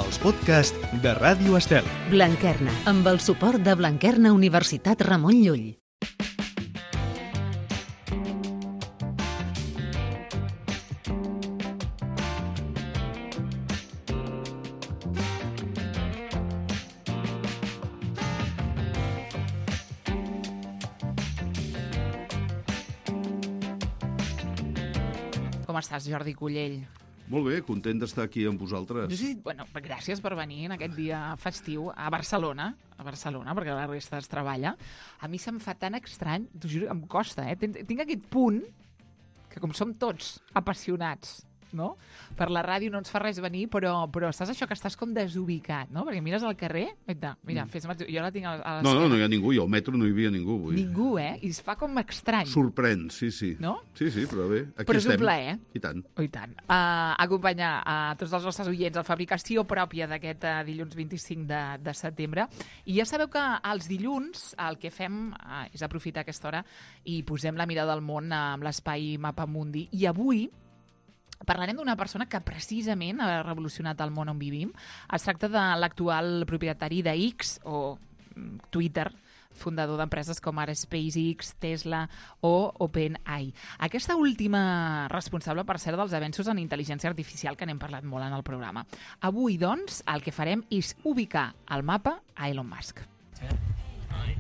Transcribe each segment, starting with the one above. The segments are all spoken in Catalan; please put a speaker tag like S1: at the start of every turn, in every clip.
S1: els podcasts de Ràdio Estel.
S2: Blanquerna, amb el suport de Blanquerna Universitat Ramon Llull.
S3: Com estàs, Jordi Cullell?
S4: Molt bé, content d'estar aquí amb vosaltres.
S3: Sí, bueno, gràcies per venir en aquest dia festiu a Barcelona, perquè la resta es treballa. A mi se'm fa tan estrany, t'ho juro, em costa, Tinc aquest punt que, com som tots apassionats, no? Per la ràdio no ens fa res venir, però saps això que estàs com desubicat, no? Perquè mires al carrer, mira, jo la tinc a l'esquena.
S4: No hi ha ningú, i al metro no hi havia ningú avui.
S3: Ningú, I es fa com estrany.
S4: Sorprèn, sí.
S3: No?
S4: Sí, però bé, aquí
S3: però és
S4: estem.
S3: un plaer.
S4: I tant.
S3: I tant. Acompanyar a tots els nostres oients a fabricació pròpia d'aquest dilluns 25 de setembre. I ja sabeu que els dilluns el que fem és aprofitar aquesta hora i posem la mirada al món amb l'espai Mapamundi. I avui parlarem d'una persona que precisament ha revolucionat el món on vivim. Es tracta de l'actual propietari de X, o Twitter, fundador d'empreses com ara SpaceX, Tesla o OpenAI. Aquesta última responsable, per cert, dels avenços en intel·ligència artificial que n'hem parlat molt en el programa. Avui, doncs, el que farem és ubicar al mapa a Elon Musk.
S5: 10, 9,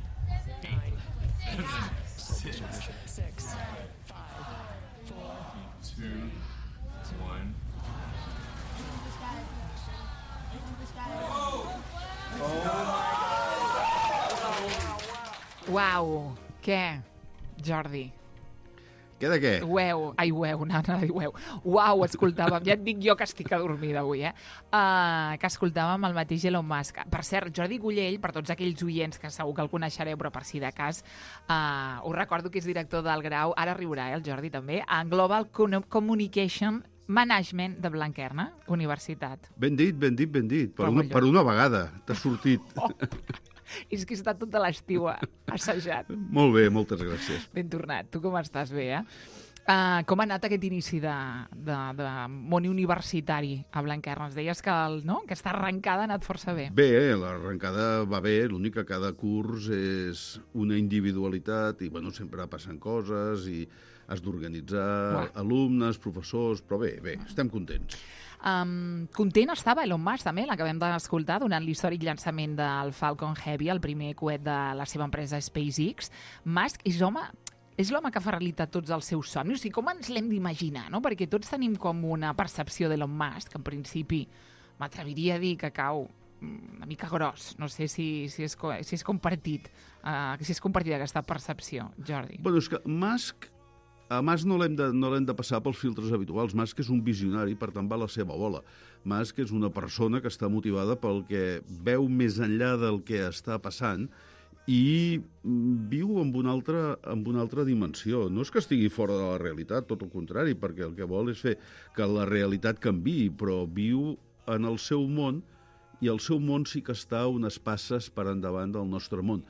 S5: 8, 7, 6, 5, 4, 3, 2, 1.
S3: Uau! Què, Jordi?
S4: Què de què?
S3: Uau, escoltàvem. Ja et dic jo que estic adormida avui, que escoltàvem el mateix Elon Musk. Per cert, Jordi Cullell, per tots aquells oients que segur que el coneixereu, però per si de cas, us recordo que és director del grau, ara riurà, el Jordi també, en Global Communication Management de Blanquerna Universitat.
S4: Ben dit. Per una vegada t'ha sortit.
S3: És que he estat tota l'estiu assajat.
S4: Molt bé, moltes gràcies.
S3: Ben tornat. Tu com estàs? Bé, com ha anat aquest inici de món universitari a Blanquerna? Ens deies que aquesta arrencada ha anat força bé.
S4: Bé, l'arrencada va bé, l'únic que cada curs és una individualitat i, sempre passen coses i has d'organitzar alumnes, professors, però bé, estem contents.
S3: Content estava Elon Musk, també, l'acabem d'escoltar, donant l'històric llançament del Falcon Heavy, el primer coet de la seva empresa SpaceX. Musk és l'home que fa realitat tots els seus somnis. I com ens l'hem d'imaginar, no? Perquè tots tenim com una percepció d'Elon Musk, que en principi m'atreviria a dir que cau una mica gros. No sé si és compartit aquesta percepció, Jordi.
S4: És que a Musk no l'hem de passar pels filtres habituals. Musk és un visionari, per tant va a la seva bola. Musk és una persona que està motivada pel que veu més enllà del que està passant i viu en una altra dimensió. No és que estigui fora de la realitat, tot el contrari, perquè el que vol és fer que la realitat canviï, però viu en el seu món i el seu món sí que està unes passes per endavant del nostre món.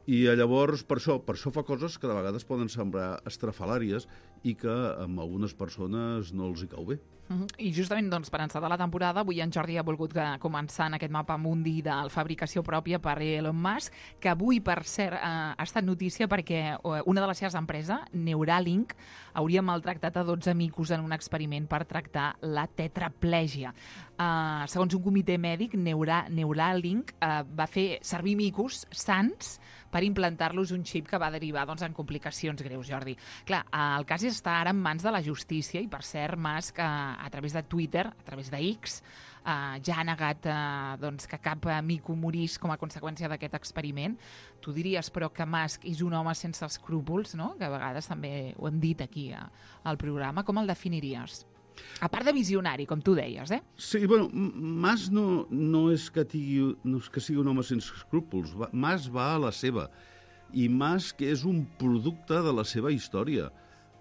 S4: I llavors, per això fa coses que de vegades poden semblar estrafalàries i que a algunes persones no els hi cau bé.
S3: I justament per encetar la temporada, avui en Jordi ha volgut començar en aquest mapa mundi de fabricació pròpia per Elon Musk, que avui, per cert, ha estat notícia perquè una de les seves empreses, Neuralink, hauria maltractat a 12 micos en un experiment per tractar la tetraplègia. Segons un comitè mèdic, Neuralink va fer servir micos sans per implantar-los un xip que va derivar en complicacions greus, Jordi. Clar, el cas està ara en mans de la justícia i, per cert, Musk, a través de Twitter, a través de X, ja ha negat que cap mico morís com a conseqüència d'aquest experiment. Tu diries, però, que Musk és un home sense escrúpols, no? Que a vegades també ho hem dit aquí al programa. Com el definiries? A part de visionari, com tu deies,
S4: Sí, Musk no és que sigui un home sense escrúpols. Musk va a la seva. I Musk és un producte de la seva història.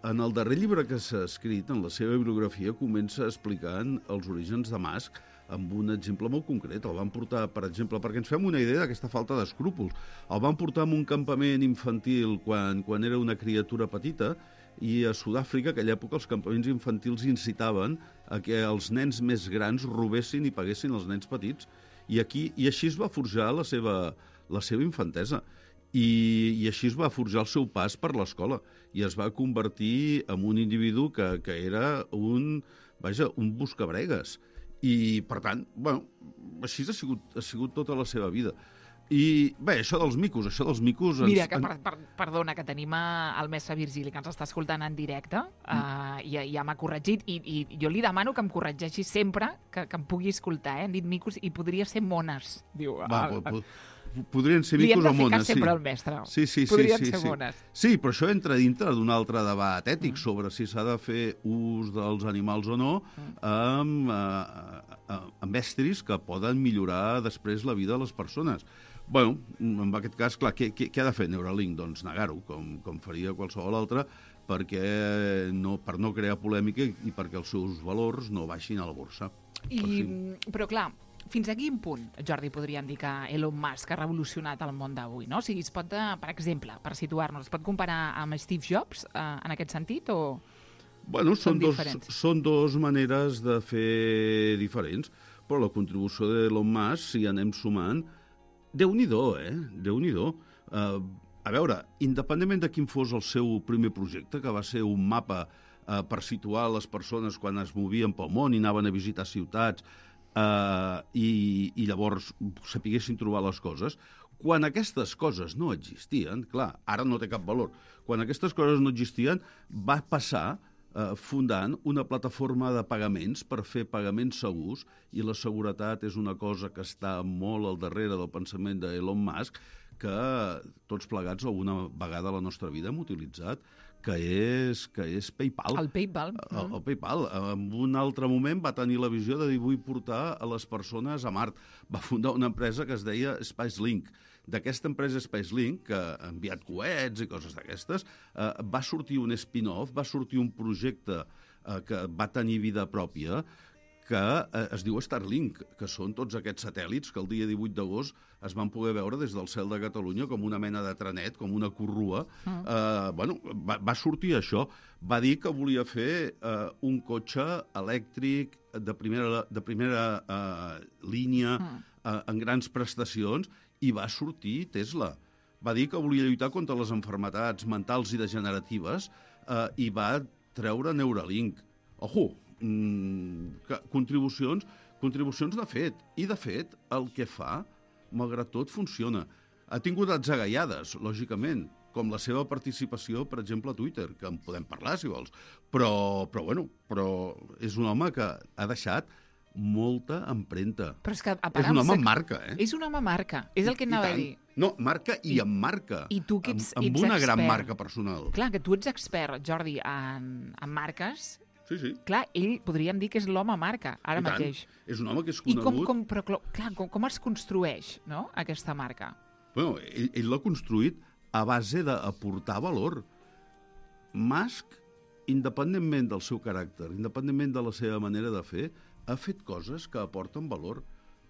S4: En el darrer llibre que s'ha escrit, en la seva bibliografia, comença explicant els orígens de Musk amb un exemple molt concret. El van portar, per exemple, perquè ens fem una idea d'aquesta falta d'escrúpols, el van portar a un campament infantil quan era una criatura petita, i a Sud-àfrica, a aquella època, els campaments infantils incitaven a que els nens més grans robessin i paguessin els nens petits. I així es va forjar la seva infantesa. I així es va forjar el seu pas per l'escola. I es va convertir en un individu que era un buscabregues. I, per tant, així ha sigut tota la seva vida. I, bé, això dels micos...
S3: Mira, perdona, que tenim el mestre Virgili, que ens està escoltant en directe, i ja m'ha corregit, i jo li demano que em corregeixi sempre que em pugui escoltar, Hem dit micos i podria ser mones, diu.
S4: Podrien ser micos o mones, sí.
S3: Li hem de fer sempre al mestre.
S4: Sí.
S3: Podrien ser mones.
S4: Sí, però això entra dintre d'un altre debat ètic sobre si s'ha de fer ús dels animals o no amb estris que poden millorar després la vida de les persones. Bueno, en aquest cas, clar, què ha de fer Neuralink? Doncs negar-ho, com faria qualsevol altre, per no crear polèmica i perquè els seus valors no baixin a la borsa.
S3: Però, clar, fins a quin punt, Jordi, podríem dir que Elon Musk ha revolucionat el món d'avui, no? O sigui, es pot, per exemple, per situar-nos, es pot comparar amb Steve Jobs en aquest sentit o
S4: bueno,
S3: són diferents?
S4: Són dues maneres de fer diferents, però la contribució d'Elon Musk, si anem sumant, Déu-n'hi-do, Déu-n'hi-do. A veure, independentment de quin fos el seu primer projecte, que va ser un mapa per situar les persones quan es movien pel món i anaven a visitar ciutats i llavors sapiguessin trobar les coses, quan aquestes coses no existien, clar, ara no té cap valor, quan aquestes coses no existien, va passar fundant una plataforma de pagaments per fer pagaments segurs, i la seguretat és una cosa que està molt al darrere del pensament d'Elon Musk, que tots plegats alguna vegada a la nostra vida hem utilitzat, que és PayPal.
S3: El PayPal.
S4: El PayPal. En un altre moment va tenir la visió de dir vull portar a les persones a Mart. Va fundar una empresa que es deia SpaceLink. D'aquesta empresa SpaceLink, que ha enviat coets i coses d'aquestes, va sortir un spin-off, va sortir un projecte que va tenir vida pròpia, que es diu Starlink, que són tots aquests satèl·lits que el dia 18 d'agost es van poder veure des del cel de Catalunya com una mena de trenet, com una corrua. Va sortir això. Va dir que volia fer un cotxe elèctric de primera línia en grans prestacions, i va sortir Tesla. Va dir que volia lluitar contra les malalties mentals i degeneratives i va treure Neuralink. Ojo, contribucions n'ha fet. I, de fet, el que fa, malgrat tot, funciona. Ha tingut atzagaiades, lògicament, com la seva participació, per exemple, a Twitter, que en podem parlar, si vols. Però és un home que ha deixat molta empremta.
S3: Però és que,
S4: és un home amb marca,
S3: És un home amb marca, és el que anava a dir.
S4: No, marca i amb marca.
S3: I tu que ets
S4: amb una gran marca personal.
S3: Clar, que tu ets expert, Jordi, en marques.
S4: Sí.
S3: Clar, ell podríem dir que és l'home marca, ara mateix.
S4: És un home que és conegut.
S3: I com es construeix, no?, aquesta marca?
S4: Bueno, ell l'ha construït a base d'aportar valor. Musk, independentment del seu caràcter, independentment de la seva manera de fer, ha fet coses que aporten valor.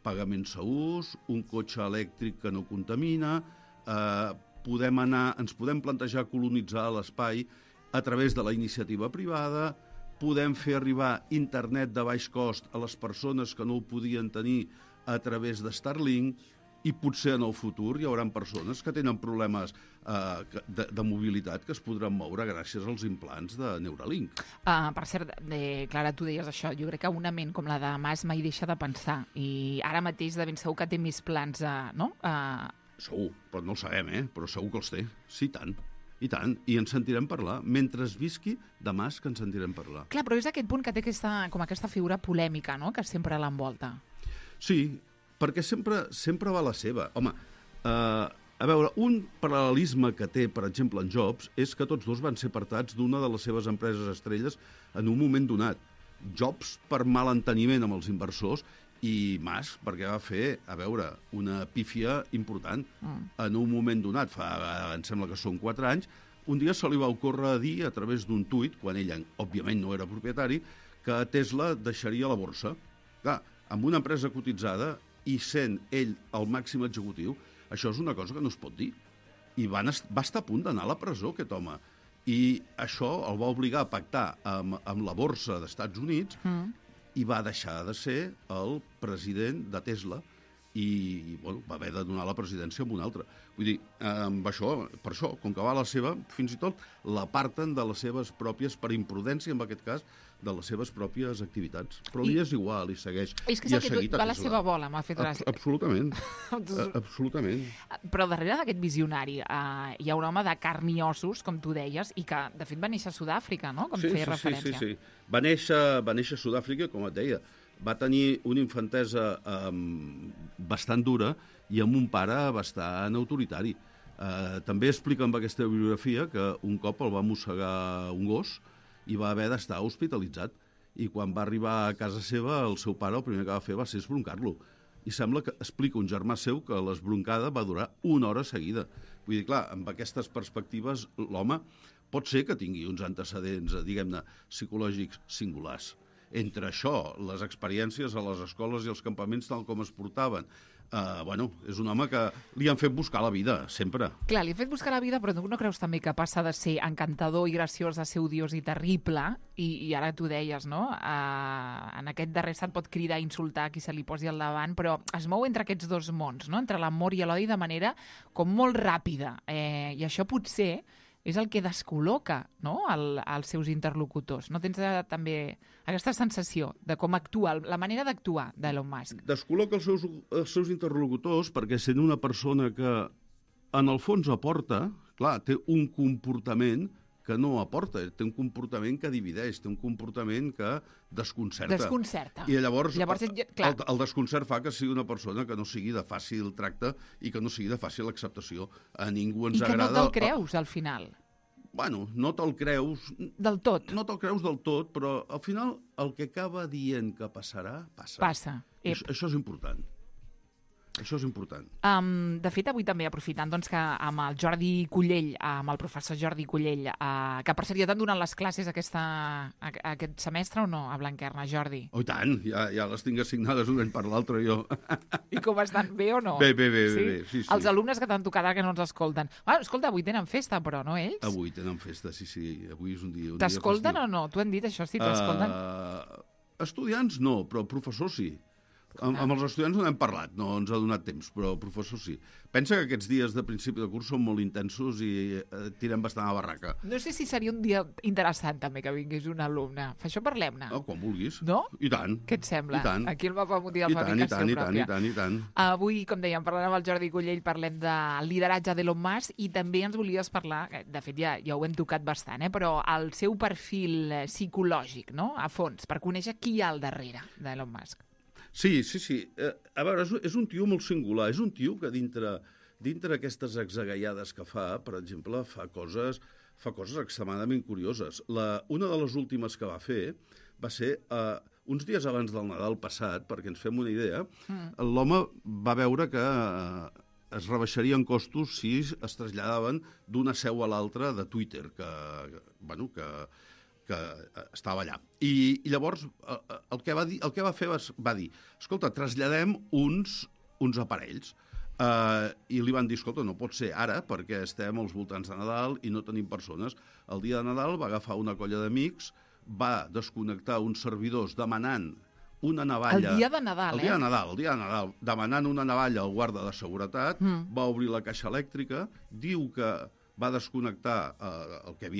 S4: Pagaments segurs, un cotxe elèctric que no contamina, ens podem plantejar colonitzar l'espai a través de la iniciativa privada, podem fer arribar internet de baix cost a les persones que no ho podien tenir a través de Starlink, i potser en el futur hi haurà persones que tenen problemes de mobilitat que es podran moure gràcies als implants de Neuralink.
S3: Per cert, Clara, tu deies això. Jo crec que una ment com la de Mas mai deixa de pensar. I ara mateix de ben segur que té més plans, no?
S4: Segur, però no ho sabem, però segur que els té. Sí, tant. I tant, i ens sentirem parlar. Mentre visqui, de Mas que ens sentirem parlar.
S3: Clar, però és aquest punt que té aquesta figura polèmica, no?, que sempre l'envolta.
S4: Sí, perquè sempre va la seva. Home, a veure, un paral·lelisme que té, per exemple, en Jobs, és que tots dos van ser apartats d'una de les seves empreses estrelles en un moment donat. Jobs per malenteniment amb els inversors i Musk perquè va fer, a veure, una pífia important en un moment donat, em sembla que són 4 anys, un dia se li va ocórrer dir a través d'un tuit, quan ell, òbviament, no era propietari, que Tesla deixaria la borsa. Clar, amb una empresa cotitzada i sent ell el màxim executiu, això és una cosa que no es pot dir. I va estar a punt d'anar a la presó, aquest home. I això el va obligar a pactar amb la borsa d'Estats Units i va deixar de ser el president de Tesla i bueno, va haver de donar la presidència a un altre. Vull dir, amb això, per això, com que va a la seva, fins i tot l'aparten de les seves pròpies, per imprudència en aquest cas, de les seves pròpies activitats. Però li és igual, i segueix.
S3: És que va a la seva bola, m'ha fet gràcia.
S4: Absolutament. Absolutament.
S3: Però darrere d'aquest visionari hi ha un home de carn i ossos, com tu deies, i que, de fet, va néixer a Sud-àfrica, no? Com feia referència.
S4: Sí. Va néixer a Sud-àfrica, com et deia. Va tenir una infantesa bastant dura i amb un pare bastant autoritari. També explica amb aquesta bibliografia que un cop el va mossegar un gos i va haver d'estar hospitalitzat. I quan va arribar a casa seva, el seu pare el primer que va fer va ser esbroncar-lo. I sembla que explica un germà seu que l'esbroncada va durar 1 hora seguida. Vull dir, clar, amb aquestes perspectives, l'home pot ser que tingui uns antecedents, diguem-ne, psicològics singulars. Entre això, les experiències a les escoles i els campaments tal com es portaven, és un home que li han fet buscar la vida, sempre.
S3: Clar, li ha fet buscar la vida, però tu no creus també que passa de ser encantador i graciós a ser odiós i terrible, i ara tu deies, no? En aquest darrer estat pot cridar i insultar qui se li posi al davant, però es mou entre aquests dos mons, no? Entre l'amor i l'odi de manera com molt ràpida. I això potser és el que descol·loca, no?, als seus interlocutors. No tens també aquesta sensació de com actua, la manera d'actuar d'Elon Musk?
S4: Descol·loca els seus interlocutors perquè sent una persona que en el fons aporta, clar, té un comportament que no aporta, té un comportament que divideix, té un comportament que desconcerta.
S3: Desconcerta.
S4: I llavors el desconcert fa que sigui una persona que no sigui de fàcil tracte i que no sigui de fàcil acceptació. A ningú ens agrada...
S3: I que no te'l creus, al final.
S4: Bueno, no te'l creus...
S3: Del tot.
S4: No te'l creus del tot, però al final el que acaba dient que passarà, passa.
S3: Passa.
S4: Això és important. Això és important.
S3: De fet, avui també aprofitant doncs, que amb el Jordi Cullell, amb el professor Jordi Cullell, que per cert ja t'han donat les classes aquest semestre o no, a Blanquerna, Jordi?
S4: Oh, i tant, ja les tinc assignades un any per l'altre, jo.
S3: I com estan? Bé o no?
S4: Bé, sí.
S3: Els alumnes que t'han tocat ara que no ens escolten. Escolta, avui tenen festa, però, no ells?
S4: Avui tenen festa, sí. Avui és un dia
S3: T'escolten o no? T'ho han dit, això, si t'escolten?
S4: Estudiants no, però professors sí. Amb els estudiants no n'hem parlat, no ens ha donat temps, però professors sí. Pensa que aquests dies de principi de curs són molt intensos i tirem bastant a barraca.
S3: No sé si seria un dia interessant també que vingués un alumne. Això parlem-ne.
S4: Quan vulguis.
S3: No?
S4: I tant.
S3: Què et sembla?
S4: I tant.
S3: Aquí el mapa mundial de fabricació pròpia.
S4: I tant.
S3: Avui, com dèiem, parlant amb el Jordi Cullell, parlem del lideratge d'Elon Musk i també ens volies parlar, de fet ja ho hem tocat bastant, però el seu perfil psicològic, no?, a fons, per conèixer qui hi ha al darrere d'Elon Musk.
S4: Sí. A veure, és un tio molt singular. És un tio que dintre d'aquestes exagaiades que fa, per exemple, fa coses extremadament curioses. Una de les últimes que va fer va ser uns dies abans del Nadal passat, perquè ens fem una idea, l'home va veure que es rebaixarien costos si es traslladaven d'una seu a l'altra de Twitter, que estava allà. I llavors el que va fer va dir, escolta, traslladem uns aparells. I li van dir, escolta, no pot ser ara perquè estem als voltants de Nadal i no tenim persones. El dia de Nadal va agafar una colla d'amics, va desconnectar uns servidors demanant una navalla...
S3: El dia de Nadal,
S4: El dia de Nadal, demanant una navalla al guarda de seguretat, va obrir la caixa elèctrica, diu que va desconnectar el que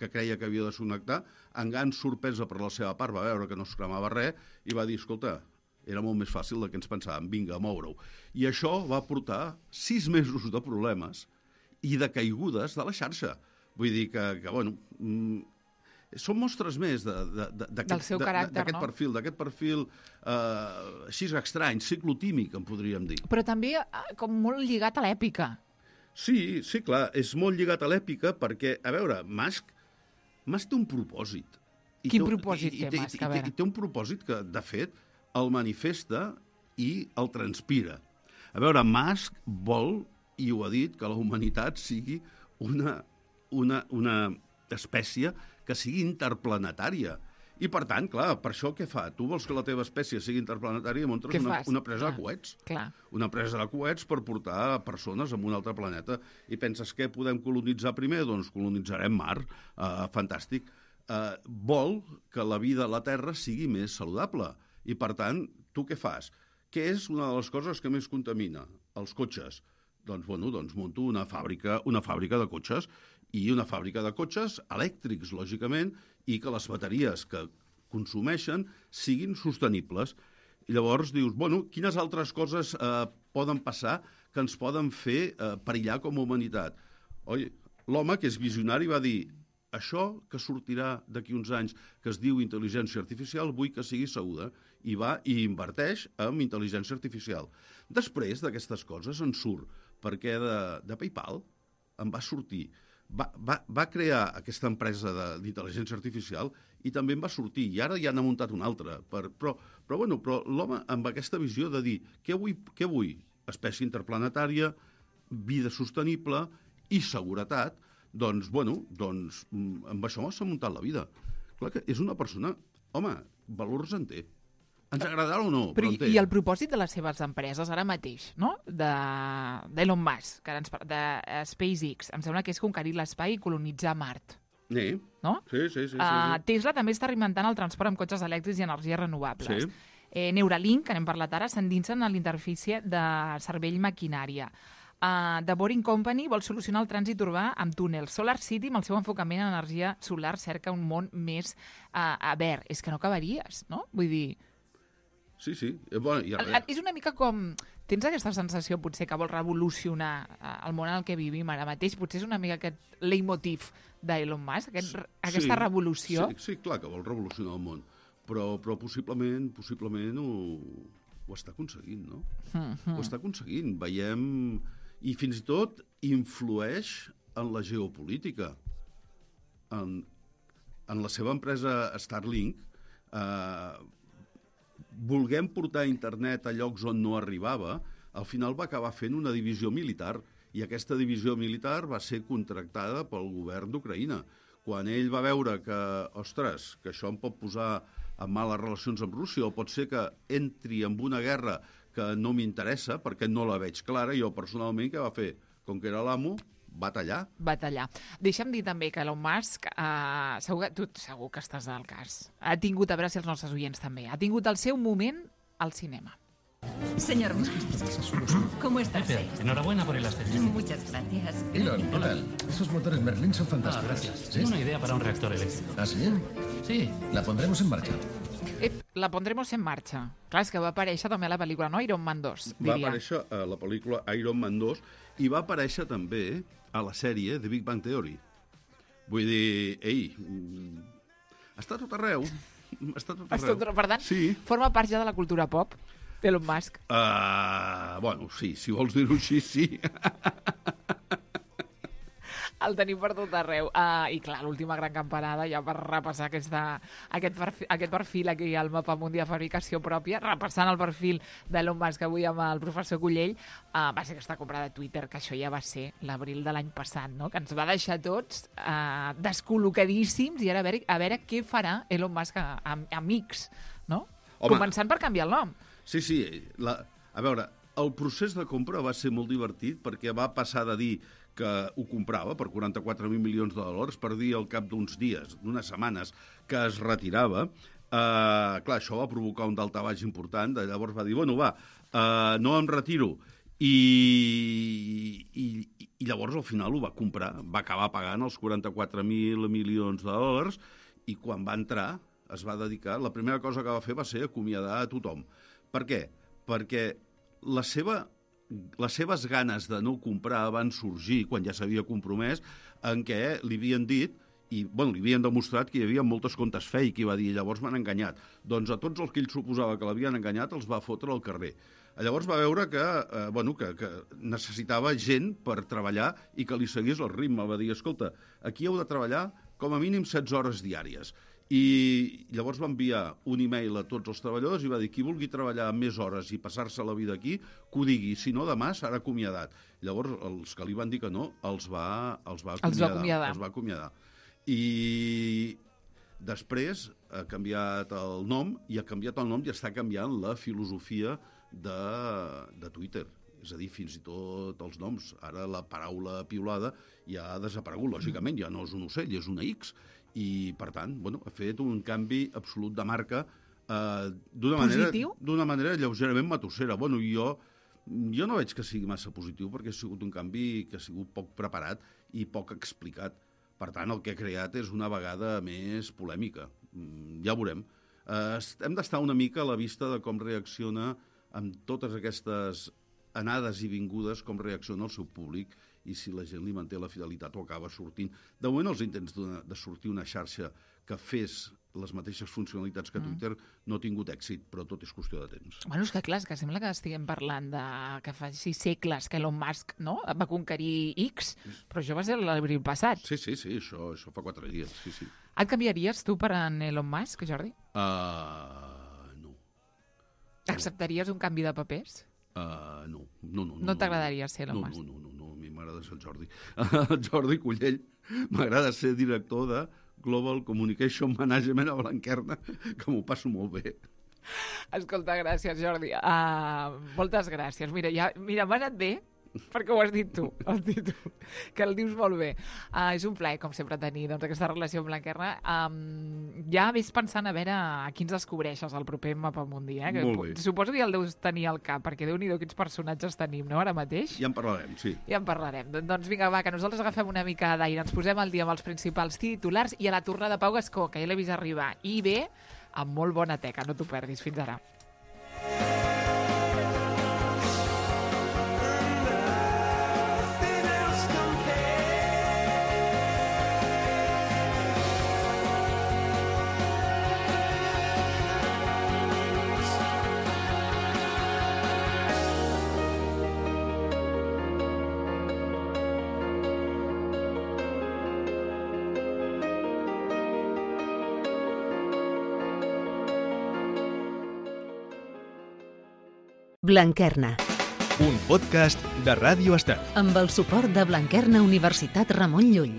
S4: creia que havia de desconnectar, amb gran sorpresa per la seva part, va veure que no es cremava res, i va dir, escolta, era molt més fàcil del que ens pensàvem, vinga, a moure-ho. I això va portar 6 mesos de problemes i de caigudes de la xarxa. Vull dir que són mostres més d'aquest perfil així estrany, ciclotímic, en podríem dir.
S3: Però també com molt lligat a l'èpica.
S4: Sí, clar, és molt lligat a l'èpica perquè, a veure, Musk té un propòsit.
S3: Quin propòsit té Musk? A veure.
S4: Té un propòsit que, de fet, el manifesta i el transpira. A veure, Musk vol, i ho ha dit, que la humanitat sigui una espècie que sigui interplanetària. I, per tant, clar, per això què fa? Tu vols que la teva espècie sigui interplanetària i muntes una presa de coets.
S3: Clar.
S4: Una presa de coets per portar persones a un altre planeta. I penses que podem colonitzar primer? Doncs colonitzarem Mart. Fantàstic. vol que la vida a la Terra sigui més saludable. I, per tant, tu què fas? Què és una de les coses que més contamina? Els cotxes. Doncs monto una fàbrica de cotxes, i una fàbrica de cotxes elèctrics, lògicament, i que les bateries que consumeixen siguin sostenibles. I llavors dius, quines altres coses poden passar que ens poden fer perillar com a humanitat? L'home, que és visionari, va dir això que sortirà d'aquí uns anys, que es diu intel·ligència artificial, vull que sigui segura, i va i inverteix en intel·ligència artificial. Després d'aquestes coses en surt, perquè de PayPal en va sortir. Va crear aquesta empresa d'intel·ligència artificial i també en va sortir, i ara ja n'ha muntat una altra. Però l'home amb aquesta visió de dir què vull? Espècie interplanetària, vida sostenible i seguretat, doncs amb això s'ha muntat la vida. Clar que és una persona, valors en té. Ens agradarà o no, però en té.
S3: I el propòsit de les seves empreses ara mateix, no? d'Elon Musk, de SpaceX, em sembla que és conquerir l'espai i colonitzar Mart. No?
S4: Sí.
S3: Tesla també està reinventant el transport amb cotxes elèctrics i energies renovables.
S4: Sí.
S3: Neuralink, que n'hem parlat ara, s'endinsen en l'interfície de cervell-maquinària. The Boring Company vol solucionar el trànsit urbà amb túnels. Solar City, amb el seu enfocament en energia solar, cerca un món més verd. És que no acabaries, no? Vull dir...
S4: Sí.
S3: És una mica com... Tens aquesta sensació, potser, que vol revolucionar el món en el que vivim ara mateix? Potser és una mica aquest leitmotiv d'Elon Musk, aquesta revolució?
S4: Sí, clar que vol revolucionar el món, però possiblement ho està aconseguint, no? Ho està aconseguint. Veiem... I fins i tot influeix en la geopolítica. En la seva empresa Starlink, volguem portar internet a llocs on no arribava, al final va acabar fent una divisió militar, i aquesta divisió militar va ser contractada pel govern d'Ucraïna. Quan ell va veure que això em pot posar en males relacions amb Rússia, o pot ser que entri en una guerra que no m'interessa, perquè no la veig clara, jo personalment què va fer? Com que era l'amo, va tallar.
S3: Deixa'm dir també que Elon Musk, segur que estàs al cas, ha tingut, a veure si els nostres oients també, ha tingut el seu moment al cinema.
S6: Señor Musk, ¿cómo está usted?
S7: Enhorabuena por el ascenso.
S6: Muchas gracias.
S8: Elon, ¿qué tal? Esos motores Merlin son fantásticos.
S7: Gracias.
S8: ¿Sí?
S7: Tengo una idea para un reactor eléctrico.
S8: ¿Ah, sí?
S7: Sí.
S8: La pondremos en marcha.
S3: La pondremos en marxa. Clar, és que va aparèixer també a la pel·lícula, no? Iron Man 2, diria.
S4: Va aparèixer a la pel·lícula Iron Man 2 i va aparèixer també a la sèrie The Big Bang Theory. Vull dir, està tot arreu.
S3: Per tant,
S4: sí.
S3: Forma part ja de la cultura pop, Elon Musk.
S4: Sí, si vols dir-ho així, sí.
S3: El tenim per tot arreu. I clar, l'última gran campanada, ja per repassar aquest perfil aquí al mapa mundial de fabricació pròpia, repassant el perfil d'Elon Musk avui amb el professor Cullell, va ser aquesta compra de Twitter, que això ja va ser l'abril de l'any passat, no? Que ens va deixar tots descol·locadíssims, i ara a veure què farà Elon Musk amics, no? Començant per canviar el nom.
S4: Sí. A veure, el procés de compra va ser molt divertit, perquè va passar de dir que ho comprava per 44.000 milions de dòlars, per dir al cap d'uns dies, d'unes setmanes, que es retirava. Clar, això va provocar un daltabaix important, llavors va dir, no em retiro. I llavors al final ho va comprar, va acabar pagant els 44.000 milions de dòlars, i quan va entrar es va dedicar, la primera cosa que va fer va ser acomiadar a tothom. Per què? Perquè les seves ganes de no comprar van sorgir quan ja s'havia compromès, en què li havien dit, i li havien demostrat que hi havia moltes comptes fake, i va dir, llavors m'han enganyat. Doncs a tots els que ell suposava que l'havien enganyat els va fotre al carrer. Llavors va veure que necessitava gent per treballar i que li seguís el ritme. Va dir, escolta, aquí heu de treballar com a mínim 16 hores diàries. I llavors va enviar un e-mail a tots els treballadors i va dir, qui vulgui treballar més hores i passar-se la vida aquí, que ho digui, si no demà serà acomiadat. Llavors els que li van dir que no els va acomiadar. I després ha canviat el nom, i està canviant la filosofia de Twitter. És a dir, fins i tot els noms. Ara la paraula piulada ja ha desaparegut, lògicament, ja no és un ocell, és una X. I, per tant, bueno, ha fet un canvi absolut de marca d'una manera lleugerament matossera. Bueno, jo no veig que sigui massa positiu perquè ha sigut un canvi que ha sigut poc preparat i poc explicat. Per tant, el que ha creat és una vegada més polèmica. Ja ho veurem. Hem d'estar una mica a la vista de com reacciona amb totes aquestes anades i vingudes, com reacciona el seu públic i si la gent li manté la fidelitat o acaba sortint. De moment, els intents de sortir una xarxa que fes les mateixes funcionalitats que Twitter no ha tingut èxit, però tot és qüestió de temps.
S3: Bueno, és que clar, és que sembla que estiguem parlant de que fa 6 segles que Elon Musk, no?, va conquerir X, però això va ser l'abril passat.
S4: Sí, això fa 4 dies, sí.
S3: Et canviaries tu per en Elon Musk, Jordi?
S4: No.
S3: Acceptaries un canvi de papers?
S4: No.
S3: No t'agradaria ser Elon Musk?
S4: No, a mi m'agrada ser el Jordi. El Jordi Cullell m'agrada ser director de Global Communication Management a Blanquerna, que m'ho passo molt bé.
S3: Escolta, gràcies, Jordi. Moltes gràcies. Mira, m'ha anat bé perquè ho has dit tu, que el dius molt bé. És un plaer, com sempre, tenir aquesta relació amb Blanquerna. Ja ves pensant a veure a qui ens descobreixes el proper Mapamundi.
S4: Molt bé.
S3: Suposo que ja el deus tenir al cap, perquè Déu-n'hi-do quins personatges tenim, no?, ara mateix.
S4: Ja en parlarem, sí.
S3: Ja en parlarem. Doncs vinga, va, que nosaltres agafem una mica d'aire, ens posem al dia amb els principals titulars i a la tornada Pau Gascó, que ja l'he vist arribar. I bé, amb molt bona teca, no t'ho perdis. Fins ara.
S2: Blanquerna.
S1: Un podcast de Ràdio Estel.
S2: Amb el suport de Blanquerna Universitat Ramon Llull.